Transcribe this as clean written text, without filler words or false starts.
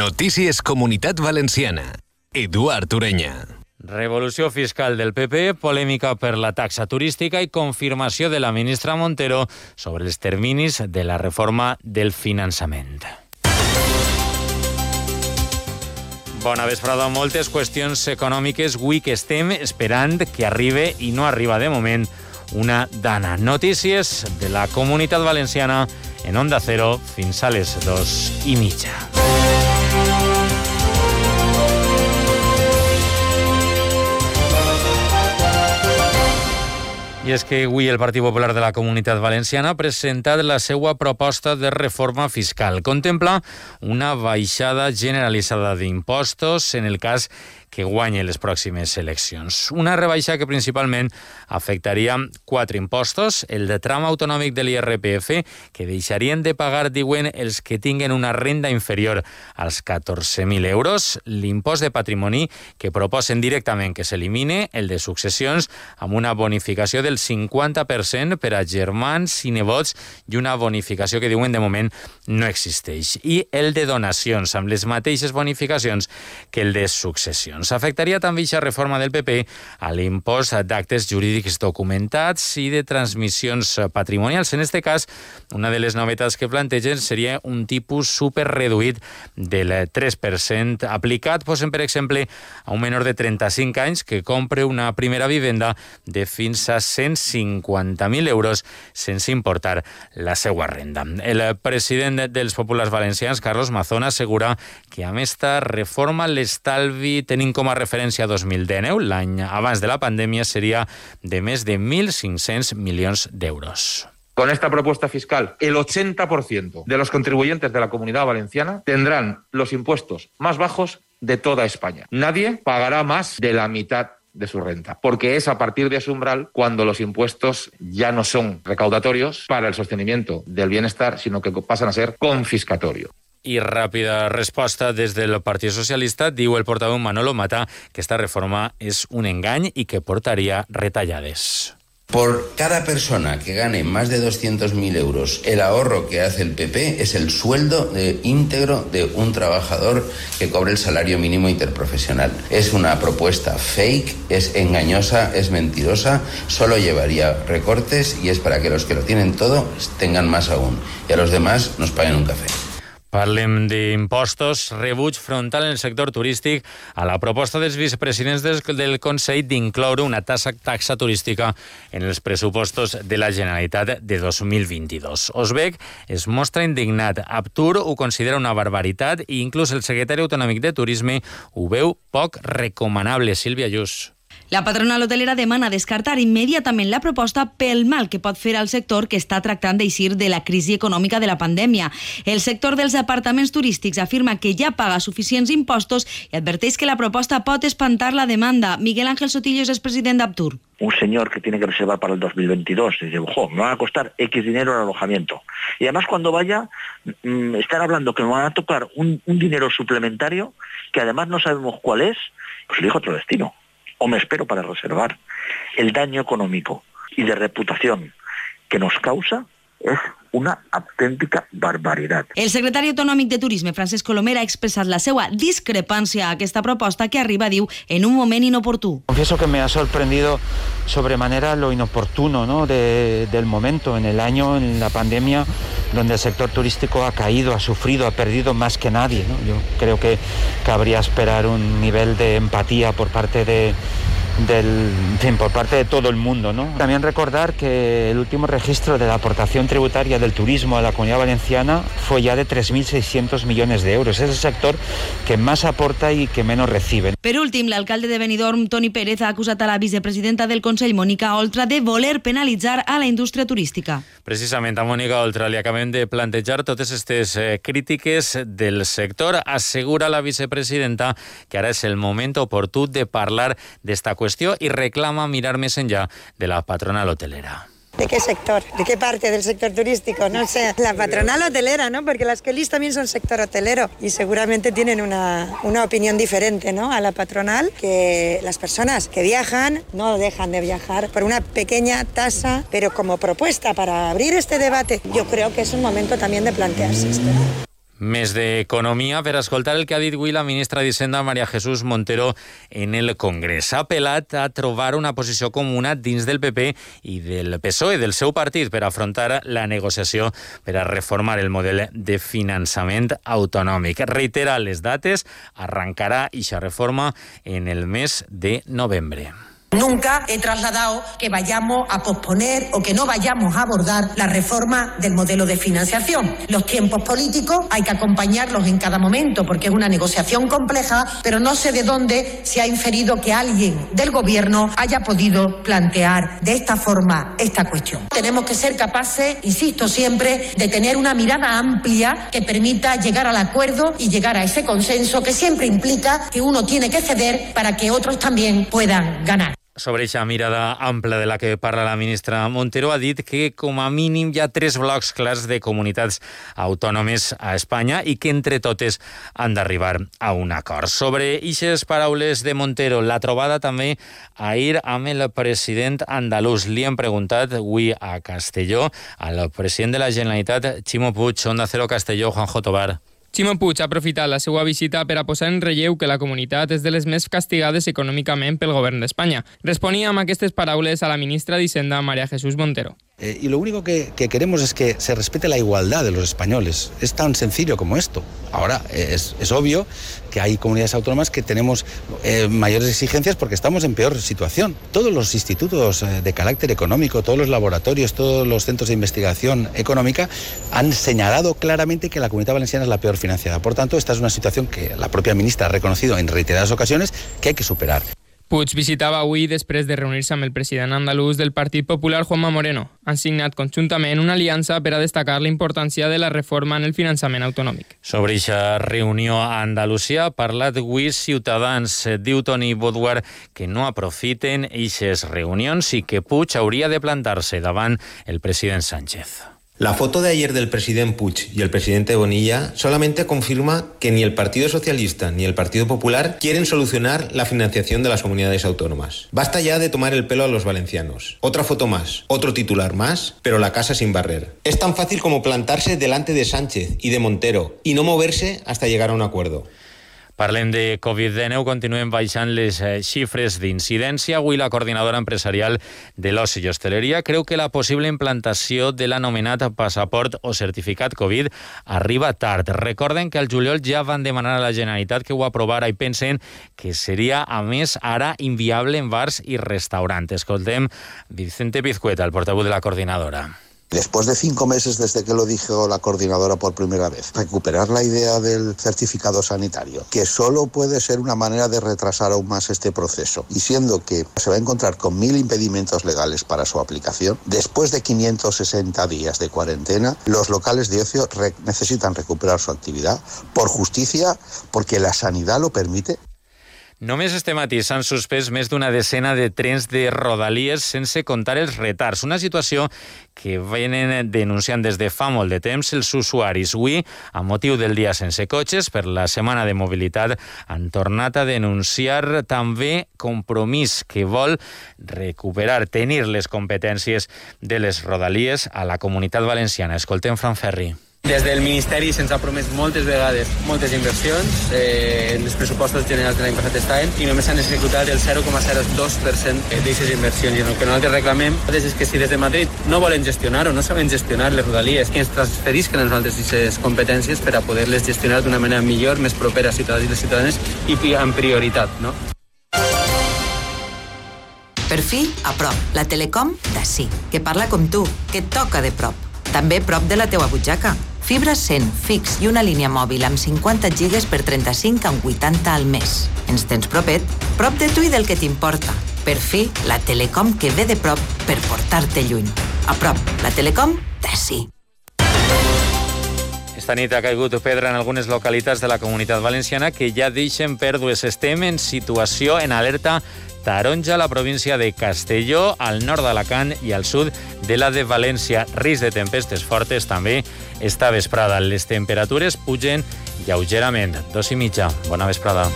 Notícies Comunitat Valenciana. Eduard Ureña. Revolució fiscal del PP, polèmica per la taxa turística i confirmació de la ministra Montero sobre els terminis de la reforma del finançament. Bona vesprada. Moltes qüestions econòmiques avui que estem esperant que arribi i no arriba de moment una dana. Notícies de la Comunitat Valenciana en Onda Cero fins a les 2:30. I és que avui el Partit Popular de la Comunitat Valenciana ha presentat la seva proposta de reforma fiscal. Contempla una baixada generalitzada d'impostos en el cas que guanyi les pròximes eleccions. Una rebaixa que principalment afectaria 4 impostos: el de tram autonòmic de l'IRPF, que deixarien de pagar, diuen, els que tinguen una renda inferior als 14.000 euros, l'impost de patrimoni, que proposen directament que s'elimine, el de successions, amb una bonificació del 50% per a germans i nebots i una bonificació que diuen de moment no existeix, i el de donacions, amb les mateixes bonificacions que el de successions. Afectaria també aquesta reforma del PP a l'impost d'actes jurídics documentats i de transmissions patrimonials. En aquest cas, una de les novetats que plantegen seria un tipus superreduït del 3% aplicat, posen, per exemple, a un menor de 35 anys que compre una primera vivenda de fins a 150.000 euros sense importar la seva renda. El president dels Populars Valencians, Carlos Mazón, assegura que amb esta reforma l'estalvi, tenint com a referència 2019, l'any abans de la pandèmia, seria de més de 1.500 milions d'euros. Con esta propuesta fiscal, el 80% de los contribuyentes de la Comunidad Valenciana tendrán los impuestos más bajos de toda España. Nadie pagará más de la mitad de su renta, porque es a partir de ese umbral cuando los impuestos ya no son recaudatorios para el sostenimiento del bienestar, sino que pasan a ser confiscatorios. I ràpida resposta des del Partit Socialista. Diu el portaveu Manolo Mata que esta reforma és un engany i que portaria retallades. Por cada persona que gane más de 200.000 euros, el ahorro que hace el PP es el sueldo íntegro de un trabajador que cobre el salario mínimo interprofesional. Es una propuesta fake, es engañosa, es mentirosa, solo llevaría recortes y es para que los que lo tienen todo tengan más aún y a los demás nos paguen un café. Parlem d'impostos. Rebuig frontal en el sector turístic a la proposta dels vicepresidents del Consell d'incloure una taxa turística en els pressupostos de la Generalitat de 2022. Osbec es mostra indignat. Aptur ho considera una barbaritat i inclús el secretari autonòmic de Turisme ho veu poc recomanable. Sílvia Lluís. La patronal hotelera demana descartar immediatament la proposta pel mal que pot fer al sector que està tractant d'eixir de la crisi econòmica de la pandèmia. El sector dels apartaments turístics afirma que ja paga suficients impostos i adverteix que la proposta pot espantar la demanda. Miguel Ángel Sotillos es president d'Aptur. Un señor que tiene que reservar para el 2022 dice, ojo, me va a costar X dinero el alojamiento. Y además cuando vaya, están hablando que me van a tocar un dinero suplementario que además no sabemos cuál es, pues elijo otro destino. O me espero para reservar. El daño económico y de reputación que nos causa es una autèntica barbaritat. El secretari autonòmic de Turisme, Francesc Colomer, ha expressat la seva discrepància a aquesta proposta que arriba, diu, en un moment inoportú. Confieso que me ha sorprendido sobremanera lo inoportuno, ¿no?, del momento, en el año, en la pandemia, donde el sector turístico ha caído, ha sufrido, ha perdido más que nadie, ¿no? Yo creo que cabría esperar un nivel de empatía por parte de todo el mundo, ¿no? También recordar que el último registro de la aportación tributaria del turismo a la Comunidad Valenciana fue ya de 3.600 millones de euros. Es el sector que más aporta y que menos recibe. Per últim, l'alcalde de Benidorm, Toni Pérez, ha acusat a la vicepresidenta del Consell, Mònica Oltra, de voler penalitzar a la indústria turística. Precisament a Mònica Oltra li acabem de plantejar totes aquestes crítiques del sector. Assegura la vicepresidenta que ara és el moment oportú de parlar d'esta qüestió i reclama mirar més enllà de la patronal hotelera. ¿De qué sector? ¿De qué parte del sector turístico? No sé, la patronal hotelera, ¿no? Porque las Kellys también son sector hotelero y seguramente tienen una opinión diferente, ¿no?, a la patronal, que las personas que viajan no dejan de viajar por una pequeña tasa, pero como propuesta para abrir este debate, yo creo que es un momento también de plantearse esto. Més d'economia per escoltar el que ha dit avui la ministra d'Hisenda María Jesús Montero en el Congrés. Ha apel·lat a trobar una posició comuna dins del PP i del PSOE, del seu partit, per afrontar la negociació per a reformar el model de finançament autonòmic. Reitera les dates, arrancarà eixa reforma en el mes de novembre. Nunca he trasladado que vayamos a posponer o que no vayamos a abordar la reforma del modelo de financiación. Los tiempos políticos hay que acompañarlos en cada momento porque es una negociación compleja, pero no sé de dónde se ha inferido que alguien del Gobierno haya podido plantear de esta forma esta cuestión. Tenemos que ser capaces, insisto siempre, de tener una mirada amplia que permita llegar al acuerdo y llegar a ese consenso que siempre implica que uno tiene que ceder para que otros también puedan ganar. Sobre aquesta mirada ampla de la que parla la ministra Montero, ha dit que com a mínim hi ha 3 blocs clars de comunitats autònomes a Espanya i que entre totes han d'arribar a un acord. Sobre ixes paraules de Montero, la trobada també ahir amb el president andalús. Li hem preguntat avui a Castelló al president de la Generalitat, Ximo Puig, Onda Cero Castelló, Juanjo Tobar. Ximo Puig ha aprofitat la seva visita per a posar en relleu que la comunitat és de les més castigades econòmicament pel govern d'Espanya. Responia amb aquestes paraules a la ministra d'Hisenda, María Jesús Montero. Y lo único que queremos es que se respete la igualdad de los españoles. Es tan sencillo como esto. Ahora, es obvio que hay comunidades autónomas que tenemos mayores exigencias porque estamos en peor situación. Todos los institutos de carácter económico, todos los laboratorios, todos los centros de investigación económica han señalado claramente que la Comunidad Valenciana es la peor financiada. Por tanto, esta es una situación que la propia ministra ha reconocido en reiteradas ocasiones que hay que superar. Puig visitava avui després de reunir-se amb el president andalús del Partit Popular, Juanma Moreno. Han signat conjuntament una aliança per a destacar la importància de la reforma en el finançament autonòmic. Sobre aquesta reunió a Andalusia ha parlat avui Ciutadans. Diu Toni Boduar que no aprofiten aquestes reunions i que Puig hauria de plantar-se davant el president Sánchez. La foto de ayer del presidente Puig y el presidente Bonilla solamente confirma que ni el Partido Socialista ni el Partido Popular quieren solucionar la financiación de las comunidades autónomas. Basta ya de tomar el pelo a los valencianos. Otra foto más, otro titular más, pero la casa sin barrer. Es tan fácil como plantarse delante de Sánchez y de Montero y no moverse hasta llegar a un acuerdo. Parlem de Covid-19, continuem baixant les xifres d'incidència. Avui la coordinadora empresarial de l'oci i hostaleria creu que la possible implantació de l'anomenat passaport o certificat Covid arriba tard. Recorden que al juliol ja van demanar a la Generalitat que ho aprovara i pensen que seria, a més, ara inviable en bars i restaurants. Escoltem Vicente Pizcueta, el portavoz de la coordinadora. Después de 5 meses desde que lo dijo la coordinadora por primera vez, recuperar la idea del certificado sanitario, que solo puede ser una manera de retrasar aún más este proceso, y siendo que se va a encontrar con 1000 impedimentos legales para su aplicación, después de 560 días de cuarentena, los locales de ocio necesitan recuperar su actividad por justicia, porque la sanidad lo permite. Només este matí s'han suspès més d'una decena de trens de Rodalies sense comptar els retards. Una situació que venen denunciant des de fa molt de temps els usuaris. Avui, a motiu del dia sense cotxes, per la setmana de mobilitat, han tornat a denunciar també Compromís, que vol recuperar, tenir les competències de les Rodalies a la Comunitat Valenciana. Escoltem Fran Ferri. Des del Ministeri se'ns ha promès moltes vegades moltes inversions, els pressupostos generals de l'any passat estaven i només s'han executat el 0,02% d'aquestes inversions. I el que nosaltres reclamem és que si des de Madrid no volen gestionar o no saben gestionar les rodalies, que ens transferisquen a nosaltres aquestes competències per a poder-les gestionar d'una manera millor, més propera a ciutadans i les ciutadanes i amb prioritat, no? Per fi, a prop, la Telecom d'ací, que parla com tu, que et toca de prop. També prop de la teua butxaca. Fibra 100, fix i una línia mòbil amb 50 gigas per 35 amb 80 al mes. Ens tens propet? Prop de tu i del que t'importa. Per fi, la Telecom que ve de prop per portar-te lluny. A prop, la Telecom d'ací. Esta nit ha caigut pedra en algunes localitats de la Comunitat Valenciana que ja deixen pèrdues. Estem en situació en alerta taronja a la província de Castelló, al nord d'Alacant i al sud de la de València. Risc de tempestes fortes també esta vesprada. Les temperatures pugen lleugerament. 2:30. Bona vesprada.